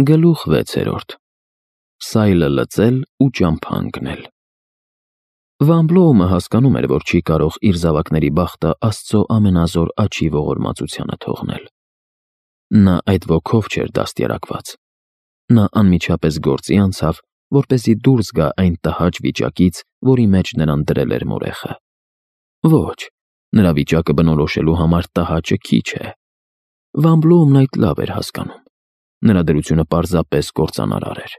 Գլուխ 6. Սայլը լծել ու ճամփա ընկնել։ Վան հասկանում էր, որ չի կարող իր զավակների բախտը Աստծո ամենազոր աջի ողորմածությանը թողնել։ Նա այդ ոգով չէր դաստիարակված։ Նա անմիջապես գործի անցավ, որպեսզի դուրս գա այն տհաճ վիճակից, որի մեջ նրան դրել էր մորեխը։ Ոչ, նրա վիճակը բնորոշելու համար տհաճը քիչ է։ Վան այդ լավ էր հասկանում։ Նրա դրությունը պարզապես կործանարար էր,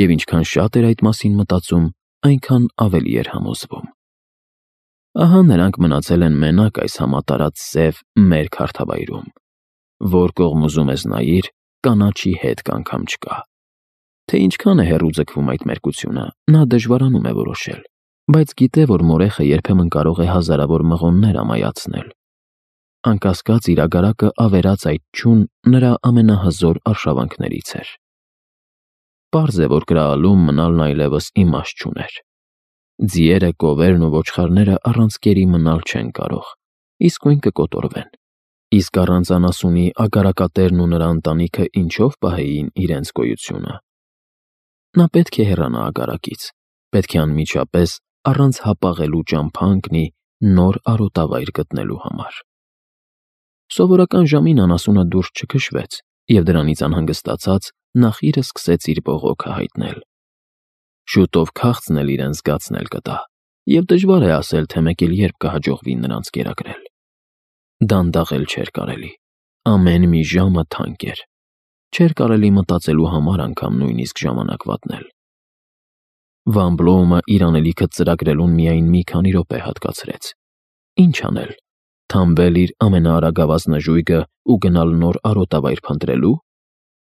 և ինչքան շատ էր այդ մասին մտածում, այնքան ավելի էր համոզվում։ Ահա նրանք մնացել են մենակ այս համատարած սև մեր քարթավայրում, որ կողմ ուզում ես նայիր, կանաչի հետք անգամ չկա։ Թե ինչքան է հեռու ձգվում այդ մերկությունը, նա դժվարանում է որոշել, բայց գիտե, որ մորեխը երբեմն կարող է հազարավոր մղոններ ամայացնել։ Անկասկած իր ագարակը ավերած այդ չուն նրա ամենահզոր արշավանքներից էր։ Պարզ է, որ կրալում մնալն այլևս իմաստ չուներ։ Ձիերը, կովերն ու ոչխարները առանց կերի մնալ չեն կարող, իսկույն կկոտորվեն։ Իսկ առանց անասունի ագարակատերն ու նրա ընտանիքը ինչով պահեին իրենց գոյությունը։ Նա պետք է հեռանա ագարակից, պետք է անմիջապես առանց հապաղելու ճամփա ընկնի նոր արոտավայր գտնելու համար։ Սովորական ժամին անասունը դուրս չքշվեց, և դրանից անհանգստացած նախիրը սկսեց իր բողոքը հայտնել։ Շուտով քաղցն էլ իրեն զգացնել կտա, և դժվար է ասել, թե մեկ էլ երբ կհաջողվի նրանց կերակրել։ Դանդաղել չէր կարելի, ամեն մի ժամը թանկ էր։ Չէր կարելի մտածելու համար անգամ նույնիսկ ժամանակ վատնել։ Վան իր անելիքը ծրագրելուն միայն մի քանի րոպե հատկացրեց։ Ինչ անել։ Թամբել իր ամենաարագավազ նժույգը ու գնալ նոր արոտավայր փնտրելու,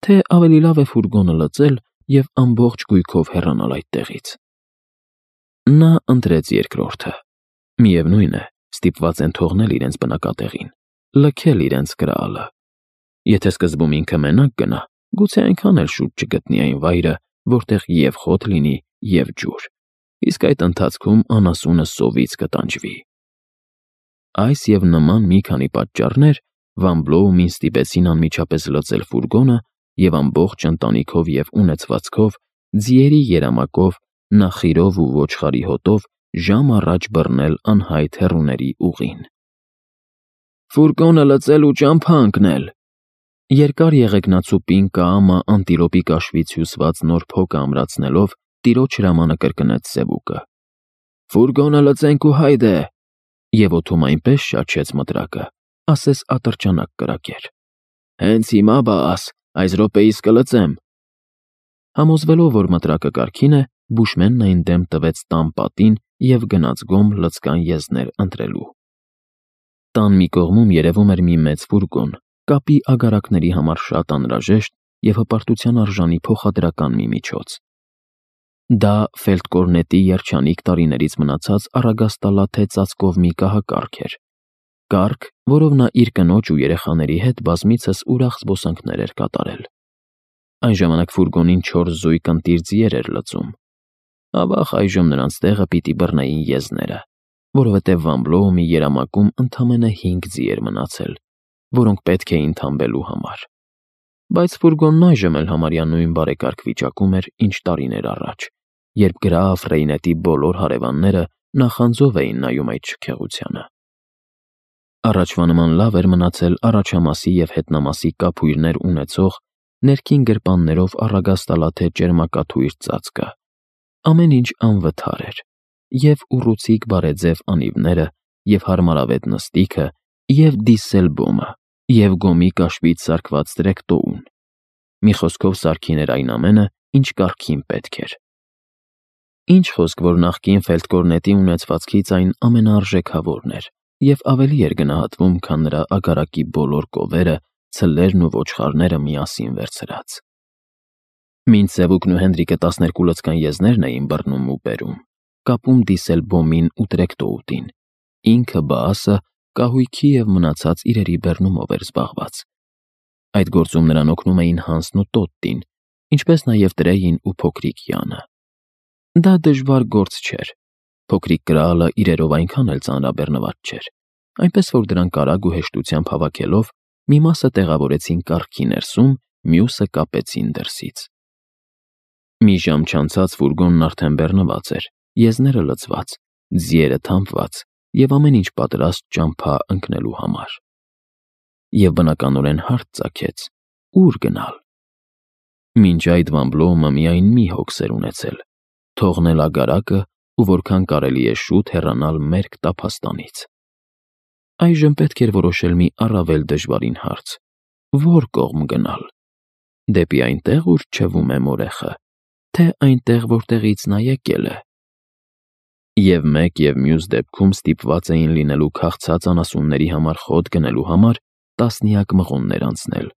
թե ավելի լավ է ֆուրգոնը լծել և ամբողջ գույքով հեռանալ այդտեղից։ Նա ընտրեց երկրորդը։ Միևնույն է, ստիպված են թողնել իրենց բնակատեղին, լքել իրենց կրալը։ Եթե սկզբում ինքը մենակ գնա, գուցե այնքան էլ շուտ չգտնի այն վայրը, որտեղ և խոտ լինի, և ջուր, իսկ այդ ընթացքում անասունը սովից կտանջվի։ Այս և նման մի քանի պատճառներ Վան ստիպեցին անմիջապես լծել ֆուրգոնը և ամբողջ ընտանիքով և ունեցվածքով, ձիերի երամակով, նախիրով ու ոչխարի հոտով ժամ առաջ բռնել անհայտ հեռուների ուղին։ Ֆուրգոնը լծել ու ճամփա ընկնել։ Երկար եղեգնացու պինդ կամը անտիլոպի կաշվից հյուսված նոր փոքը ամրացնելով տիրոջ հրամանը կրկնեց սևուկը։ Ֆուրգոնը լծենք ու հայդե։ Եվ օդում այնպես շաչեց մտրակը, ասես ատրճանակ կրակեր։ Հենց հիմա բաս, այս րոպեիս կլծեմ։ Համոզվելով, որ մտրակը կարգին է, բուշմենն այն դեմ տվեց տան պատին և գնաց գոմ լծկան եզներ ընտրելու։ Տան մի կողմում երևում էր մի մեծ ֆուրգոն, կապի ագարակների համար շատ անհրաժեշտ և հպարտության արժանի փոխադրական մի միջոց։ Դա Ֆելդկորնետի երջանիկ տարիներից մնացած առագաստալաթե ծածկով մի կահակարգ էր։ Կարգ, որով նա իր կնոջ ու երեխաների հետ բազմիցս ուրախ զբոսանքներ էր կատարել։ Այն ժամանակ ֆուրգոնին 4 զույգ ընտիր ձիեր էր լծում։ Ավաղ այժմ նրանց տեղը պիտի բռնեին եզները, որովհետև Վան երամակում ընդամենը 5 ձի էր մնացել, որոնք պետք էին թամբելու համար։ Բայց ֆուրգոնն այժմ էլ համարյա նույն բարեկարգ վիճակում էր, ինչ տարիներ առաջ, երբ գրաֆ Ռեյնետի բոլոր հարևանները նախանձով էին նայում այդ շքեղությանը։ Առաջվա նման լավ էր մնացել առաջամասի և հետնամասի կափույրներ ունեցող, ներքին գրպաններով առագաստալաթե ճերմակաթույր ծածկը։ Ամեն ինչ անվթար էր, և ուռուցիկ բարեձև անիվները, և հարմարավետ նստիքը, և դիսելբոմը, և գոմի կաշվից սարքված տրեկտոուն։ Մի խոսքով սարքին էր այն ամենը, ինչ կարգին պետք էր։ Ինչ խոսք, որ նախկին Ֆելդկորնետի ունեցվածքից այն ամենաարժեքավորն էր և ավելի էր գնահատվում, քան նրա ագարակի բոլոր կովերը, ցլերն ու ոչխարները միասին վերցրած։ Մինչ Սևուկն ու Հենրիկը 12 լծկան եզներն էին բռնում ու բերում, կապում դիսելբոմին ու տրեկտոուտին, ինքը Բաասը կահույքի և մնացած իրերի բեռնումով էր զբաղված։ Այդ գործում նրան օգնում էին Հանսն ու Տոտտին, ինչպես նաև Տրեյին ու փոքրիկ Յանը։ Դա դժվար գործ չէր։ Փոքրիկ կրալը իրերով այնքան էլ ծանրաբեռնված չէր, այնպես որ դրանք արագ ու հեշտությամբ հավաքելով մի մասը տեղավորեցին կառքի ներսում մյուսը կապեցին դրսից։ Մի ժամ չանցած ֆուրգոնն արդեն բեռնված էր, եզները լցված, ձիերը թամփված և ամեն ինչ պատրաստ ճամփա ընկնելու համար։ Եվ բնականորեն հարց ծագեց. ուր գնալ։ Մինչ այդ Վան Բլոումը միայն մի հոգս էր ունեցել՝ թողնել ագարակը ու որքան կարելի է շուտ հեռանալ մերկ տափաստանից։ Այժմ պետք էր որոշել մի առավել դժվարին հարց. ո՞ր կողմ գնալ։ Դեպի այնտեղ, ուր չվում է մորեխը, թե այնտեղ, որտեղից նա եկել է։ Եվ մեկ և մյուս դեպքում ստիպված էին լինելու քաղցած անասունների համար խոտ գնելու համար տասնյակ մղոններ անցնել,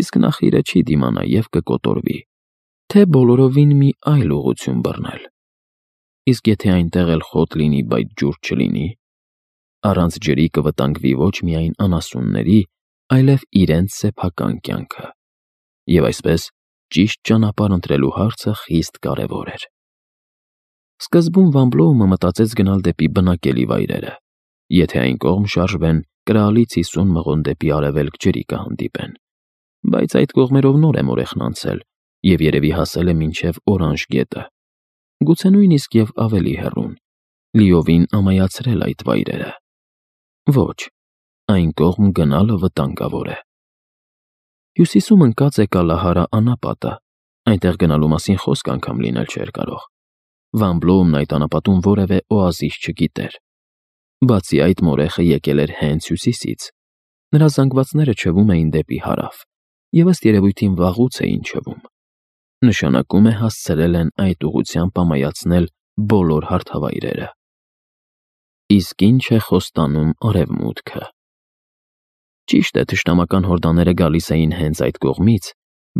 իսկ նախիրը չի դիմանա և կկոտորվի, թե բոլորովին մի այլ ուղղություն բռնել։ Իսկ եթե այնտեղ էլ խոտ լինի, բայց ջուր չլինի, առանց ջրի կվտանգվի ոչ միայն անասունների, այլև իրենց սեփական կյանքը, և այսպես ճիշտ ճանապարհ ընտրելու հարցը խիստ կարևոր էր։ Սկզբում Վան Բլոումը մտածեց գնալ դեպի բնակելի վայրերը, եթե այն կողմ շարժվեն, կրալից 50 մղոն դեպի արևելք ջրի կհանդիպեն, բայց այդ կողմերով նոր է մորեխն անցել և երևի հասել է մինչև Օրանժ գետը, գուցե նույնիսկ և ավելի հեռուն, լիովին ամայացրել այդ վայրերը։ Ոչ, այն կողմ գնալը վտանգավոր է։ Հյուսիսում ընկած է Կալահարա անապատը, այնտեղ գնալու մասին խոսք անգամ լինել չէր կարող։ Վան Բլոումն այդ անապատում որևէ օազիս չգիտեր։ Բացի այդ, մորեխը եկել էր հենց հյուսիսից։ Նրա զանգվածները չվում էին դեպի հարավ, և ըստ երևույթին վաղուց էին չվում։ Նշանակում է հասցրել են այդ ուղղությամբ ամայացնել բոլոր հարթավայրերը։ Իսկ ինչ է խոստանում արևմուտքը։ Ճիշտ է, թշնամական հորդաները գալիս էին հենց այդ կողմից,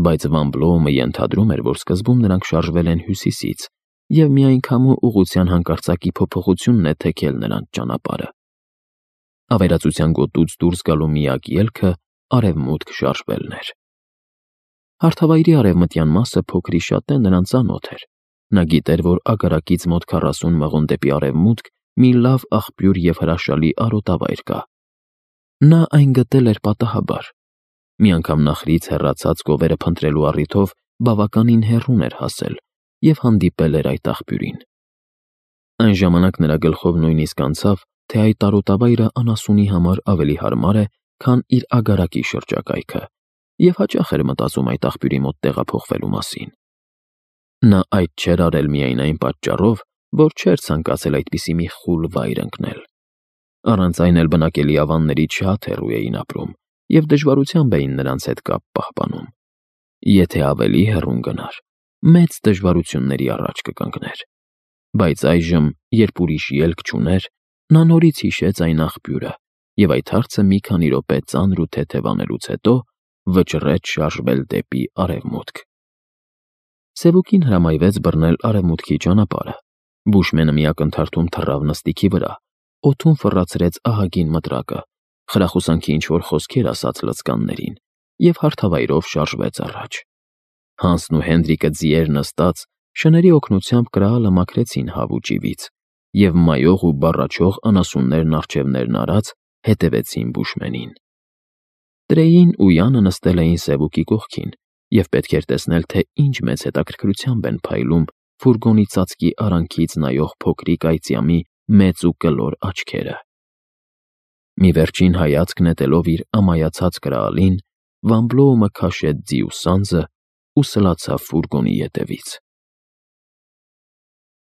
բայց Վան Բլոումը ենթադրում էր, որ սկզբում նրանք շարժվել են հյուսիսից, և միանգամու ուղղության հանկարծակի փոփոխությունն է թեքել նրանց ճանապարհը։ Ավերածության գոտուց դուրս գալու միակ ելքը արևմուտք շարժվելն էր։ Հարթավայրի արևմտյան մասը փոքրիշատե նրան ծանոթ էր։ Նա գիտեր, որ ագարակից մոտ 40 մղոն դեպի արևմուտք մի լավ աղբյուր և հրաշալի արոտավայր կա։ Նա այն գտել էր պատահաբար։ Մի անգամ նախրից հեռացած գովերը փնտրելու առիթով բավականին հեռուն էր հասել և հանդիպել էր այդ աղբյուրին։ Այն ժամանակ նրա գլխով նույնիսկ անցավ, թե այդ արոտավայրը անասունի համար ավելի հարմար է, քան իր ագարակի շրջակայքը, և հաճախ էր մտածում այդ աղբյուրի մոտ տեղափոխվելու մասին։ Նա այդ չէր արել միայն այն պատճառով, որ չէր ցանկացել այդպիսի մի խուլ վայր ընկնել։ Առանց այն էլ բնակելի ավաններից շատ հեռու էին ապրում և դժվարությամբ էին նրանց հետ կապ պահպանում։ Եթե ավելի հեռուն գնար, մեծ դժվարությունների առաջ կկանգներ։ Բայց այժմ, երբ ուրիշ ելք չուներ, նա նորից հիշեց այն աղբյուրը և այդ հարցը մի քանի րոպե ծանր ու թեթև անելուց հետո վճռեց շարժվել դեպի արևմուտք։ Սևուկին հրամայվեց բռնել արևմուտքի ճանապարհը։ Բուշմենը մի ակնթարթում թռավ նստիքի վրա, օդում ֆռացրեց ահագին մտրակը, խրախուսանքի ինչ-որ խոսքեր ասաց լծկաններին և հարթավայրով շարժվեց առաջ։ Հանսն ու Հենդրիկը ձիեր նստած, շների օգնությամբ կրակը մաքրեցին հավու ճիվից, և մայող ու բառաչող անասուններն առջևներն արած հետևեցին Բուշմենին։ Տրեյին ու Յանը նստել էին Սևուկի կողքին և պետք էր տեսնել, թե ինչ մեծ հետաքրքրությամբ են փայլում ֆուրգոնի ծածկի արանքից նայող փոքրիկ այծյամի մեծ ու կլոր աչքերը։ Մի վերջին հայացք նետելով իր ամայացած կրալին, Վան Բլոումը քաշեց ձի ու սանձը ու սլացավ ֆուրգոնի ետևից։